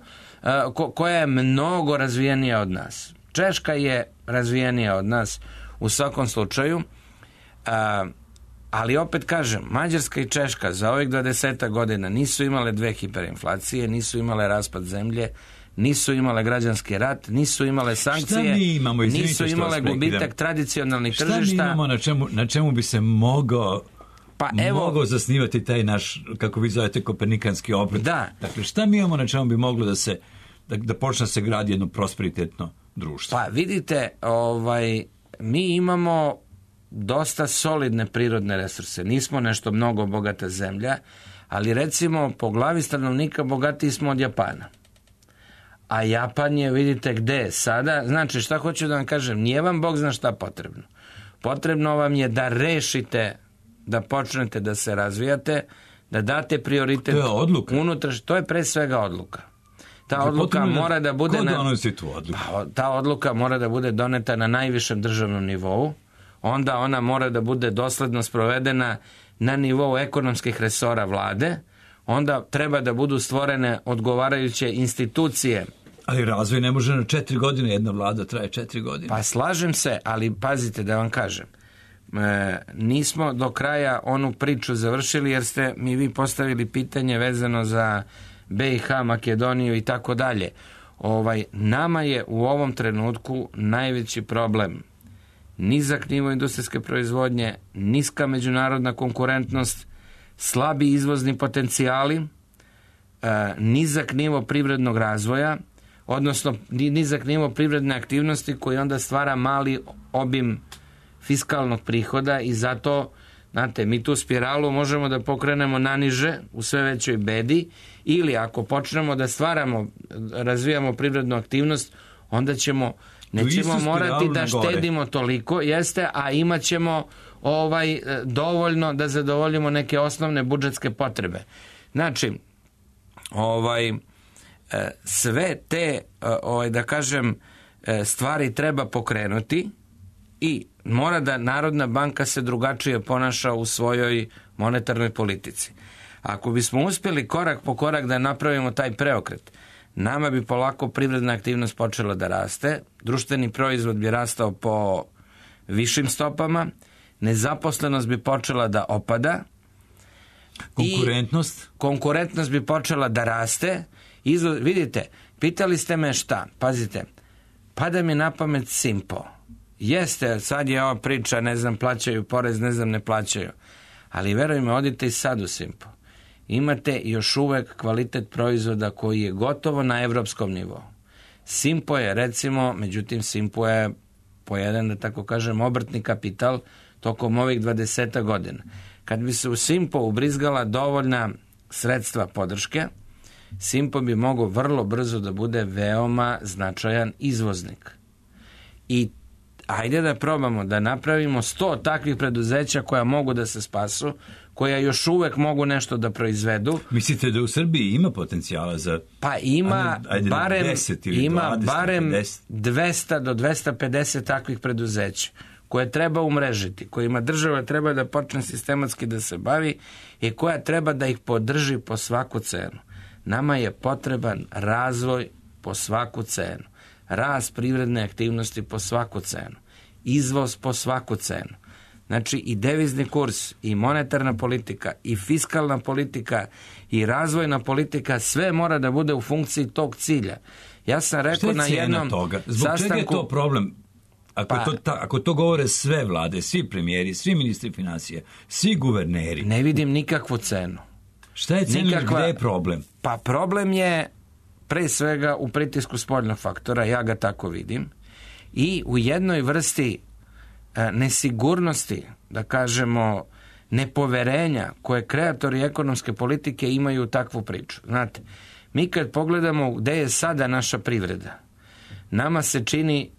koja je mnogo razvijenija od nas. Češka je razvijenija od nas u svakom slučaju, ali opet kažem, Mađarska i Češka za ovih 20 godina nisu imale dve hiperinflacije, nisu imale raspad zemlje, nisu imale građanski rat, nisu imale sankcije, nisu imale gubitak tradicionalnih tržišta. Šta mi imamo na čemu bi se mogao zasnivati taj naš, kako vi zovete, kopernikanski obrt? Da. Dakle, šta mi imamo na čemu bi moglo da počne se gradi jedno prosperitetno društvo? Pa vidite, mi imamo dosta solidne prirodne resurse. Nismo nešto mnogo bogata zemlja, ali recimo po glavi stanovnika bogatiji smo od Japana. A Japan je, vidite gde je sada. Znači, šta hoću da vam kažem, nije vam Bog zna šta potrebno. Potrebno vam je da rešite, da počnete da se razvijate, da date prioritet. To je odluka. To je pre svega odluka. Ta odluka mora da bude... Ko donosi tu odluku? Ta odluka mora da bude doneta na najvišem državnom nivou. Onda ona mora da bude dosledno sprovedena na nivou ekonomskih resora vlade. Onda treba da budu stvorene odgovarajuće institucije. Ali razvoj ne može na 4 godine, jedna vlada traje 4 godine. Pa slažem se, ali pazite da vam kažem. Nismo do kraja onu priču završili jer ste mi vi postavili pitanje vezano za BiH, Makedoniju i tako dalje. Nama je u ovom trenutku najveći problem nizak nivo industrijske proizvodnje, niska međunarodna konkurentnost, slabi izvozni potencijali, nizak nivo privrednog razvoja, odnosno nizak nivo privredne aktivnosti koji onda stvara mali obim fiskalnog prihoda i zato, znate, mi tu spiralu možemo da pokrenemo naniže u sve većoj bedi ili ako počnemo da stvaramo, razvijamo privrednu aktivnost, onda nećemo morati da štedimo toliko, a imat ćemo dovoljno da zadovoljimo neke osnovne budžetske potrebe. Znači, sve te, da kažem, stvari treba pokrenuti i mora da Narodna banka se drugačije ponaša u svojoj monetarnoj politici. Ako bismo uspjeli korak po korak da napravimo taj preokret, nama bi polako privredna aktivnost počela da raste, društveni proizvod bi rastao po višim stopama, nezaposlenost bi počela da opada, konkurentnost bi počela da raste. Vidite, pitali ste me šta, pazite, pada mi na pamet Simpo. Jeste, sad je ova priča, ne znam, plaćaju porez, ne znam, ne plaćaju. Ali verujme, odite i sad u Simpo. Imate još uvek kvalitet proizvoda koji je gotovo na evropskom nivou. Simpo je, recimo, međutim, Simpo je pojeden, da tako kažem, obrtni kapital tokom ovih 20 godina. Kad bi se u Simpo ubrizgala dovoljna sredstva podrške, Simpo bi mogao vrlo brzo da bude veoma značajan izvoznik. I ajde da probamo da napravimo 100 takvih preduzeća koja mogu da se spasu, koja još uvek mogu nešto da proizvedu. Mislite da u Srbiji ima potencijala za... Pa ima barem 200 do 250 takvih preduzeća koje treba umrežiti, kojima država treba da počne sistematski da se bavi i koja treba da ih podrži po svaku cenu. Nama je potreban razvoj po svaku cenu, rast privredne aktivnosti po svaku cenu, izvoz po svaku cenu. Znači i devizni kurs, i monetarna politika, i fiskalna politika, i razvojna politika, sve mora da bude u funkciji tog cilja. Ja sam rekao na jednom toga? Zbog čega je to problem? Ako to govore sve vlade, svi premijeri, svi ministri financije, svi guverneri. Ne vidim nikakvu cenu. Šta je cena, gde je problem? Pa problem je pre svega u pritisku spoljnog faktora, ja ga tako vidim, i u jednoj vrsti nesigurnosti, da kažemo, nepoverenja koje kreatori ekonomske politike imaju u takvu priču. Znate, mi kad pogledamo gde je sada naša privreda, nama se čini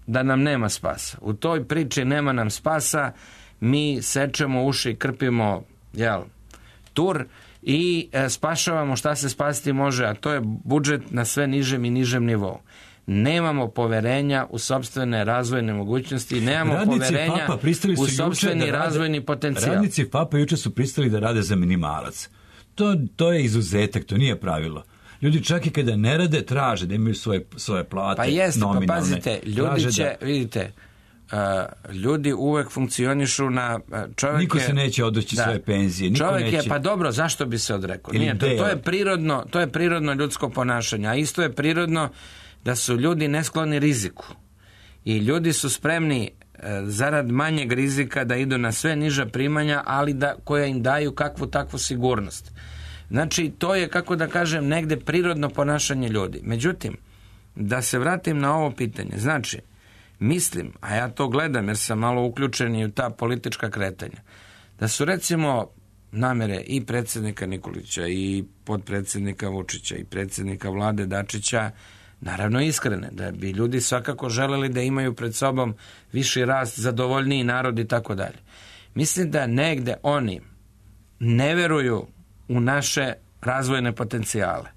da nam nema spasa. U toj priči nema nam spasa, mi sečemo uši i krpimo tur i spašavamo šta se spasiti može, a to je budžet na sve nižem i nižem nivou. Nemamo poverenja u sopstvene razvojne mogućnosti, nemamo poverenja u sopstveni razvojni potencijal. Radnici FAP-a juče su pristali da rade za minimalac. To je izuzetak, to nije pravilo. Ljudi čak i kada ne rade, traže da imaju svoje plate nominalne. Pa pazite, ljudi će, vidite, ljudi uvek funkcionišu na čovjek. Niko se neće odreći svoje penzije. Čovjek je, pa dobro, zašto bi se odrekao? To je prirodno ljudsko ponašanje, a isto je prirodno da su ljudi neskloni riziku. I ljudi su spremni zarad manjeg rizika da idu na sve niža primanja, ali koja im daju kakvu takvu sigurnost. Znači, to je, kako da kažem, negde prirodno ponašanje ljudi. Međutim, da se vratim na ovo pitanje, znači, mislim, a ja to gledam jer sam malo uključen i u ta politička kretanja, da su recimo namere i predsjednika Nikolića i potpredsjednika Vučića i predsjednika vlade Dačića naravno iskrene, da bi ljudi svakako želeli da imaju pred sobom viši rast, zadovoljniji narod i tako dalje. Mislim da negde oni ne veruju u naše razvojne potencijale,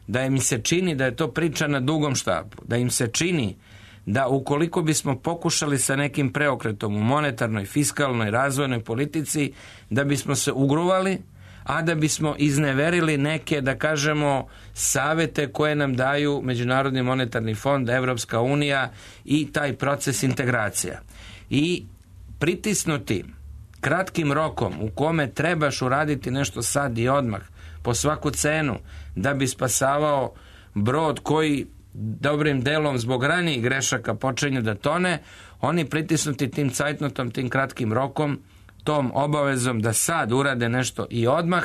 da im se čini da je to priča na dugom štapu, da im se čini da ukoliko bismo pokušali sa nekim preokretom u monetarnoj, fiskalnoj, razvojnoj politici, da bismo se ugruvali, a da bismo izneverili neke, da kažemo, savete koje nam daju Međunarodni monetarni fond, Evropska unija i taj proces integracija. I pritisnuti kratkim rokom u kome trebaš uraditi nešto sad i odmah, po svaku cenu, da bi spasavao brod koji dobrim delom zbog ranijih grešaka počinje da tone, oni pritisnuti tim cajtnotom, tim kratkim rokom, tom obavezom da sad urade nešto i odmah,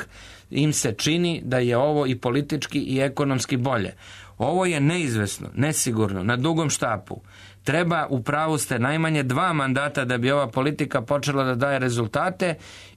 im se čini da je ovo i politički i ekonomski bolje. Ovo je neizvesno, nesigurno, na dugom štapu. Treba, u pravu ste, najmanje 2 mandata da bi ova politika počela da daje rezultate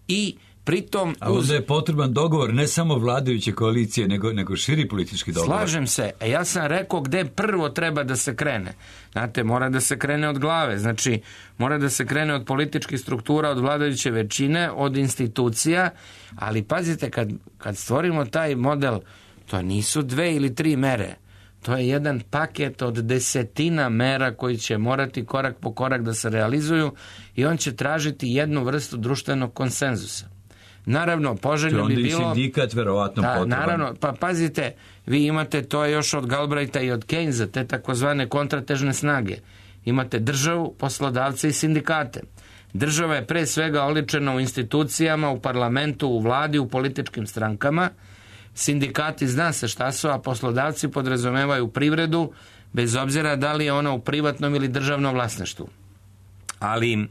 i pritom... A onda je potreban dogovor ne samo vladajuće koalicije, nego širi politički dogovor. Slažem se. Ja sam rekao gde prvo treba da se krene. Znate, mora da se krene od glave. Znači, mora da se krene od političkih struktura, od vladajuće većine, od institucija, ali pazite, kad stvorimo taj model, to nisu 2 ili 3 mere. To je jedan paket od 10 mera koji će morati korak po korak da se realizuju i on će tražiti jednu vrstu društvenog konsenzusa. Naravno, poželjno bi bilo... Onda i sindikat verovatno potreban. Naravno, pa pazite, vi imate to još od Galbraitha i od Keynesa, te takozvane kontratežne snage. Imate državu, poslodavce i sindikate. Država je pre svega oličena u institucijama, u parlamentu, u vladi, u političkim strankama. Sindikati zna se šta su, a poslodavci podrazumevaju privredu, bez obzira da li je ona u privatnom ili državnom vlasništvu. Ali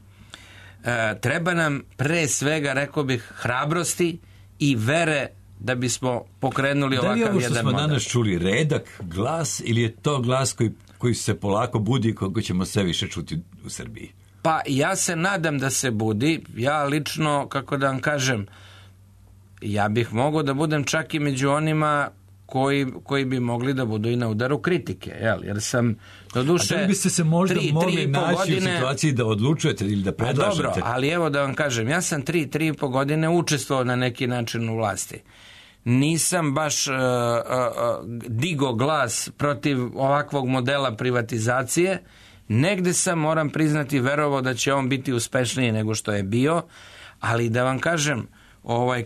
treba nam pre svega, rekao bih, hrabrosti i vere da bismo pokrenuli ovakav jedan model. Da li je ovo što smo danas čuli redak glas ili je to glas koji se polako budi i koga ćemo sve više čuti u Srbiji? Pa ja se nadam da se budi. Ja lično, kako da vam kažem, ja bih mogao da budem čak i među onima koji bi mogli da budu i na udaru kritike, jer sam do duše... A da biste se možda mogli naći u situaciji da odlučujete ili da predlažete? Dobro, ali evo da vam kažem, ja sam 3,5 godine učestvovao na neki način u vlasti. Nisam baš digo glas protiv ovakvog modela privatizacije. Negde sam, moram priznati, verovao da će on biti uspešniji nego što je bio, ali da vam kažem,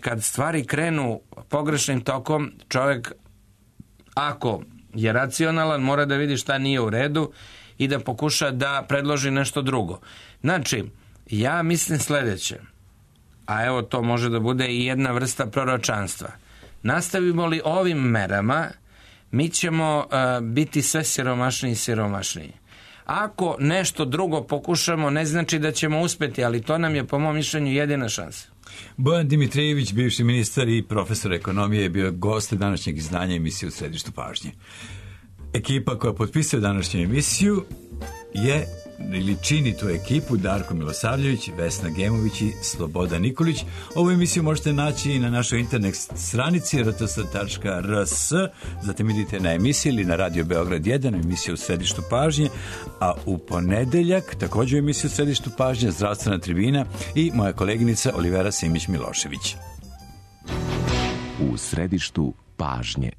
kad stvari krenu pogrešnim tokom, čovjek, ako je racionalan, mora da vidi šta nije u redu i da pokuša da predloži nešto drugo. Znači, ja mislim sljedeće, a evo to može da bude i jedna vrsta proročanstva. Nastavimo li ovim merama, mi ćemo biti sve siromašniji i siromašniji. Ako nešto drugo pokušamo, ne znači da ćemo uspjeti, ali to nam je, po mom mišljenju, jedina šansa. Bojan Dimitrijević, bivši ministar i profesor ekonomije, je bio gost današnjeg izdanja emisije U središtu pažnje. Ekipa koja potpisuje današnju emisiju je, ili čini tu ekipu, Darko Milosavljević, Vesna Gemović i Slobodan Nikolić. Ovu emisiju možete naći i na našoj internet stranici rts.rs, zatim idite na emisiju ili na Radio Beograd 1, emisiju U središtu pažnje, a u ponedeljak također emisiju U središtu pažnje, Zdravstvena tribina i moja koleginica Olivera Simić-Milošević. U središtu pažnje.